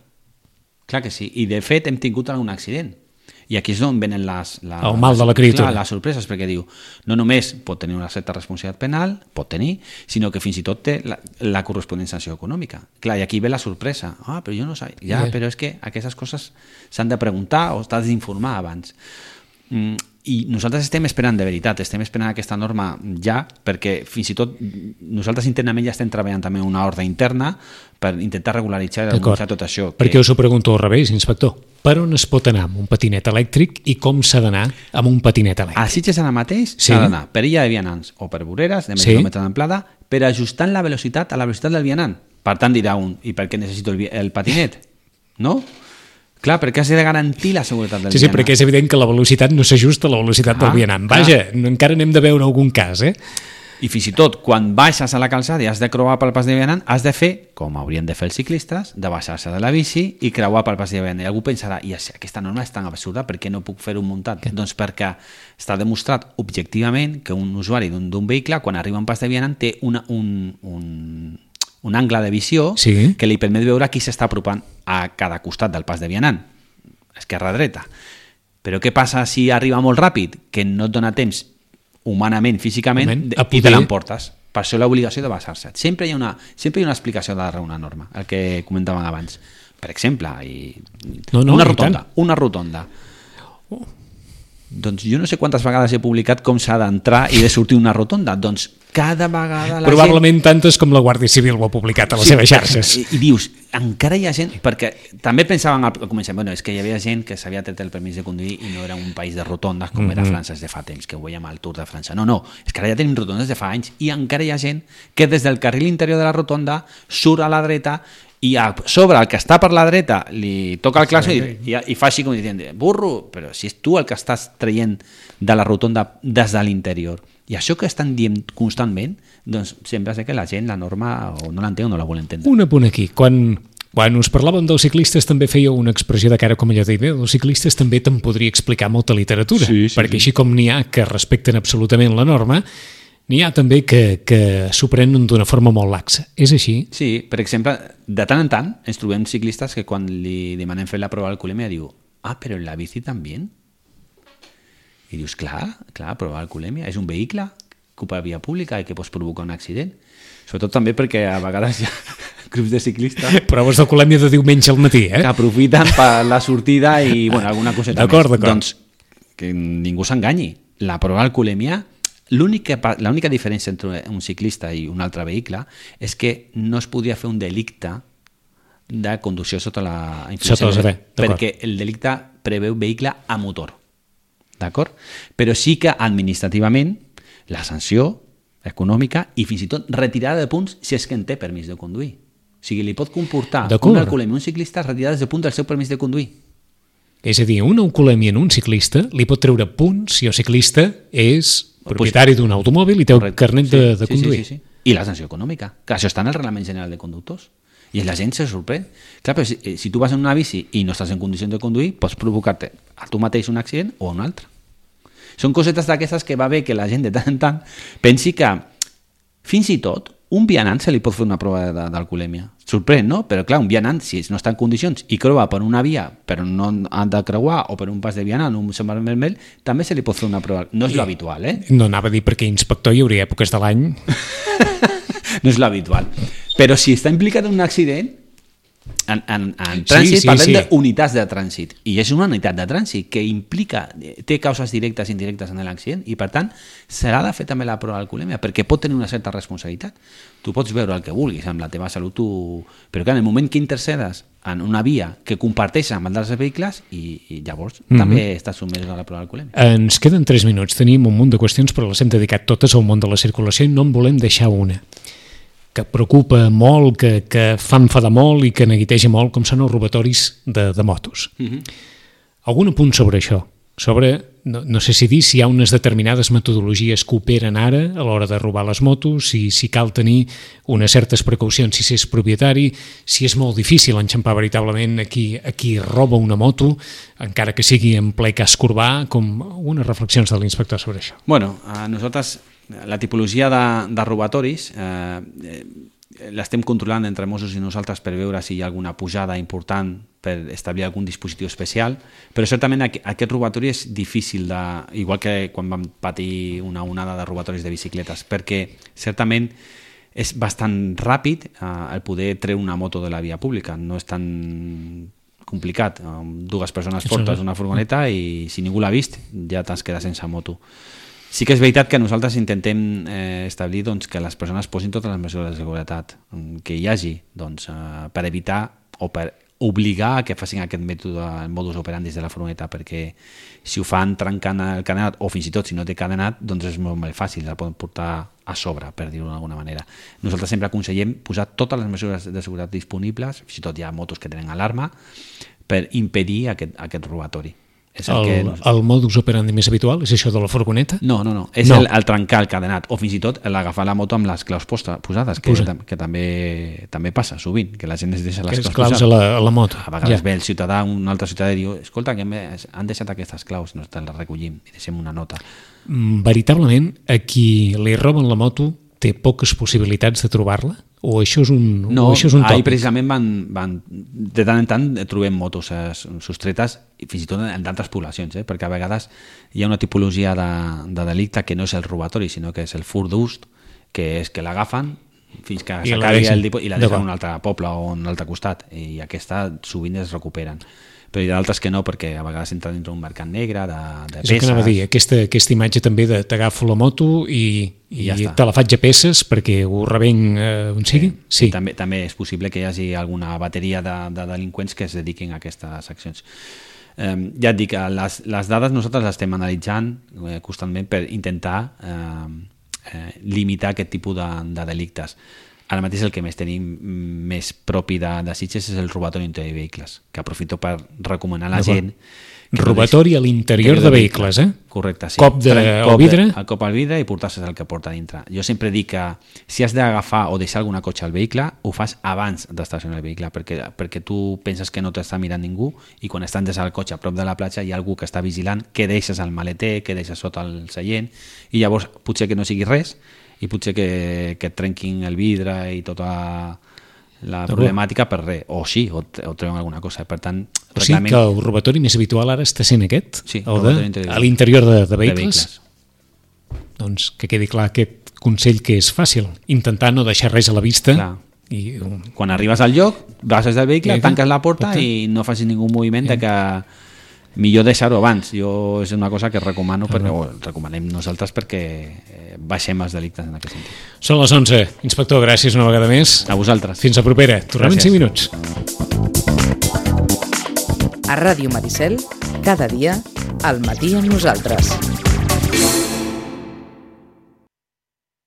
S3: clar que sí. I de fet hem tingut algun accident. I aquí és on venen les, les,
S2: el mal de la criatura.
S3: Clar, les sorpreses, perquè diu, no només pot tenir una certa responsabilitat penal, pot tenir, sinó que fins i tot té la, la corresponent sanció econòmica. Clar, i aquí ve la sorpresa. Ah, però jo no sé. Ja, yeah. Però és que aquestes coses s'han de preguntar o t'has d'informar abans. Mm, i nosaltres estem esperant de veritat, estem esperant aquesta norma ja, perquè fins i tot nosaltres internament ja estem treballant també una ordre interna per intentar regularitzar i regularitzar tot això.
S2: Perquè que... us ho pregunto al revés, inspector. Per on es pot anar amb un patinet elèctric i com s'ha d'anar amb un patinet elèctric?
S3: A Sitges ara mateix
S2: sí.
S3: S'ha d'anar per illa de vianants o per voreres de més sí. quilòmetre d'amplada, per ajustant la velocitat a la velocitat del vianant. Per tant dirà un, i per què necessito el, el patinet? No? Clar, perquè has de garantir la seguretat del
S2: sí,
S3: vianant.
S2: Sí, perquè és evident que la velocitat no s'ajusta a la velocitat ah, del vianant. Vaja, clar. Encara n'hem de veure algun cas, eh?
S3: I fins i tot, quan baixes a la calçada i has de creuar pel pas de vianant, has de fer, com haurien de fer els ciclistes, de baixar-se de la bici i creuar pel pas de vianant. I algú pensarà, i aquesta norma és tan absurda, per què no puc fer un muntat? Okay. Doncs perquè està demostrat objectivament que un usuari d'un vehicle, quan arriba a un pas de vianant, té una, un, un, un angle de visió sí. que li permet veure qui s'està apropant a cada costat del pas de vianant, esquerra-dreta. Però què passa si arriba molt ràpid? Que no et dona temps humanament, físicament, de, poder... i te l'emportes. Per això l'obligació de basar-se. Sempre hi ha una, sempre hi ha una explicació darrere una norma, el que comentàvem abans. Per exemple, i...
S2: no, no,
S3: una rotonda. Una rotonda. Oh. Doncs jo no sé quantes vegades he publicat com s'ha d'entrar i de sortir una rotonda. Doncs cada vegada la
S2: Probablement
S3: gent...
S2: tantes com la Guàrdia Civil ho ha publicat a les sí, seves xarxes.
S3: I, I dius, encara hi ha gent... Perquè també pensàvem al començament, bueno, és que hi havia gent que s'havia tret el permís de conduir i no era un país de rotondes com mm-hmm. era França de fa temps, que ho veiem al Tour de França. No, no, és que ara ja tenim rotondes de fa anys i encara hi ha gent que des del carril interior de la rotonda surt a la dreta i a sobre el que està per la dreta li toca el claxon i, i, i fa així com dient, burro, però si és tu el que estàs traient de la rotonda des de l'interior. I això que estan dient constantment, doncs sembla ser que la gent la norma o no l'entén o no la vol entendre.
S2: Un apunt aquí, quan, quan us parlàvem dels ciclistes també feia una expressió de cara com allò de dir, els ciclistes també te'n podria explicar molta literatura,
S3: sí, sí,
S2: perquè
S3: sí.
S2: així com n'hi ha que respecten absolutament la norma, n'hi ha també que, que s'ho prenen d'una forma molt laxa. És així?
S3: Sí, per exemple, de tant en tant ens trobem ciclistes que quan li demanem fer la prova d'alcoholèmia diu, ah, però en la bici també? I dius, clar, clar, prova d'alcoholèmia, és un vehicle que ocupa via pública i que pots provocar un accident. Sobretot també perquè a vegades hi ha grups de ciclistes...
S2: Proves d'alcoholèmia de diumenge al matí, eh?
S3: Que aprofiten per la sortida i, bueno, alguna coseta
S2: d'acord,
S3: més.
S2: D'acord,
S3: Doncs que ningú s'enganyi. La prova d'alcoholèmia... L'única, l'única diferència entre un ciclista i un altre vehicle és que no es podia fer un delicte de conducció sota la influència,
S2: sota
S3: perquè el delicte preveu vehicle a motor, d'acord? Però sí que administrativament la sanció econòmica i fins i tot retirada de punts si és que en té permís de conduir. O sigui, li pot comportar un alcoholèmia un ciclista retirades de punts del seu permís de conduir.
S2: És a dir, una alcoholèmia en un ciclista li pot treure punts si el ciclista és propietari d'un automòbil i té el carnet de, de conduir.
S3: Sí, sí, sí, sí. I la sanció econòmica, que això està en el Reglament General de Conductors. I la gent se sorprèn. Clar, però si, si tu vas en una bici i no estàs en condicions de conduir, pots provocar-te a tu mateix un accident o un altre. Són cosetes d'aquestes que va bé que la gent de tant en tant pensi que fins i tot un vianant se li pot fer una prova d'alcoholèmia. sorprèn, no? Però clar, un vianant, si no està en condicions i creua per una via, però no han de creuar, o per un pas de vianant, un semàfor vermell, també se li pot fer una prova. No és l'habitual, eh?
S2: No anava a dir perquè inspector hi hauria èpoques de l'any.
S3: No és l'habitual. Però si està implicat en un accident, en, en, en trànsit,
S2: sí, sí,
S3: parlem
S2: sí.
S3: d'unitats de trànsit, i és una unitat de trànsit que implica, té causes directes i indirectes en l'accident, i per tant s'ha de fer també la prova d'alcoholèmia, perquè pot tenir una certa responsabilitat. Tu pots veure el que vulguis amb la teva salut, tu... però clar, en el moment que intercedes en una via que comparteix amb altres vehicles, i, i llavors mm-hmm. també estàs sotmès a la prova d'alcoholèmia.
S2: Ens queden tres minuts, tenim un munt de qüestions, però les hem dedicat totes al món de la circulació i no en volem deixar una que preocupa molt, que, que fa enfadar molt i que neguiteja molt, com són els robatoris de, de motos. Mm-hmm. Algun apunt sobre això? Sobre, no, no sé si dir si hi ha unes determinades metodologies que operen ara a l'hora de robar les motos, si, si cal tenir unes certes precaucions si s'és propietari, si és molt difícil enxampar veritablement a qui, a qui roba una moto, encara que sigui en ple casc urbà, com unes reflexions de l'inspector sobre això.
S3: Bueno, a nosaltres la tipologia de, de robatoris eh, eh, l'estem controlant entre Mossos i nosaltres per veure si hi ha alguna pujada important per establir algun dispositiu especial, però certament aquest robatori és difícil, de, igual que quan vam patir una onada de robatoris de bicicletes, perquè certament és bastant ràpid eh, el poder treure una moto de la via pública, no és tan complicat. Dues persones portes una furgoneta i si ningú l'ha vist ja t'has quedat sense moto. Sí que és veritat que nosaltres intentem eh, establir doncs, que les persones posin totes les mesures de seguretat que hi hagi doncs, eh, per evitar o per obligar a que facin aquest mètode, el modus operandi de la furgoneta, perquè si ho fan trencant el cadenat o fins i tot si no té cadenat, doncs és molt, molt fàcil, la poden portar a sobre, per dir-ho d'alguna manera. Nosaltres sempre aconsellem posar totes les mesures de seguretat disponibles, fins i tot hi ha motos que tenen alarma, per impedir aquest, aquest robatori.
S2: És el, el, que... el modus operandi més habitual és això de la furgoneta?
S3: No, no, no. És no. El, el trencar el cadenat o fins i tot l'agafar la moto amb les claus posta, posades, que, Posa. que també, també passa sovint, que la gent es deixa les
S2: que
S3: claus,
S2: claus
S3: posades.
S2: A la, a la moto.
S3: A vegades
S2: ja.
S3: ve el ciutadà, un altre ciutadà i diu escolta, que han deixat aquestes claus, no te les recollim i deixem una nota.
S2: Veritablement, a qui li roben la moto té poques possibilitats de trobar-la? O això és un,
S3: no,
S2: o això és un tòpic?
S3: Ahir precisament van, van, de tant en tant trobem motos eh, sostretes i fins i tot en d'altres poblacions, eh, perquè a vegades hi ha una tipologia de, de delicte que no és el robatori, sinó que és el furt d'ús, que és que l'agafen fins que s'acabi el dipòsit i la deixen en un altre poble o en un altre costat, i aquesta sovint es recuperen. Però hi ha d'altres que no, perquè a vegades entra dintre un mercat negre de, de peces. És el que anava a dir, aquesta, aquesta imatge també de t'agafo la moto i, i, i ja te la faig a peces perquè ho revenc eh, on sigui. Sí, sí. També, també és possible que hi hagi alguna bateria de, de delinqüents que es dediquin a aquestes accions. Eh, ja et dic, les, les dades nosaltres les estem analitzant eh, constantment per intentar eh, eh, limitar aquest tipus de, de delictes. Ara mateix el que més tenim més propi de, de Sitges és el robatori a l'interior de vehicles, que aprofito per recomanar a la gent...
S2: Robatori a l'interior de vehicles, eh?
S3: Correcte, sí.
S2: Cop de,
S3: cop
S2: al vidre?
S3: El cop al vidre i portar-se el que porta dintre. Jo sempre dic que si has d'agafar o deixar alguna cotxe al vehicle, ho fas abans d'estacionar el vehicle, perquè, perquè tu penses que no t'està mirant ningú i quan estan des del cotxe a prop de la platja hi ha algú que està vigilant què deixes al maleter, què deixes sota el seient, i llavors potser que no sigui res i potser que, que et trenquin el vidre i tota la problemàtica per res, o sí, o, o treuen alguna cosa. Per tant,
S2: o sigui que el robatori més habitual ara està sent aquest?
S3: Sí,
S2: el de, a l'interior de, de, vehicles?
S3: de vehicles.
S2: Doncs que quedi clar aquest consell que és fàcil, intentar no deixar res a la vista.
S3: Clar. I, um... Quan arribes al lloc, baixes del vehicle, tanques la porta Porta. i no facis ningú moviment de que millor deixar-ho abans. Jo és una cosa que recomano, ah, perquè, o recomanem nosaltres perquè baixem els delictes en aquest sentit.
S2: Són les onze. Inspector, gràcies una vegada més.
S3: A vosaltres.
S2: Fins a propera. Tornem en cinc minuts.
S1: A Ràdio Maricel, cada dia, al matí amb nosaltres.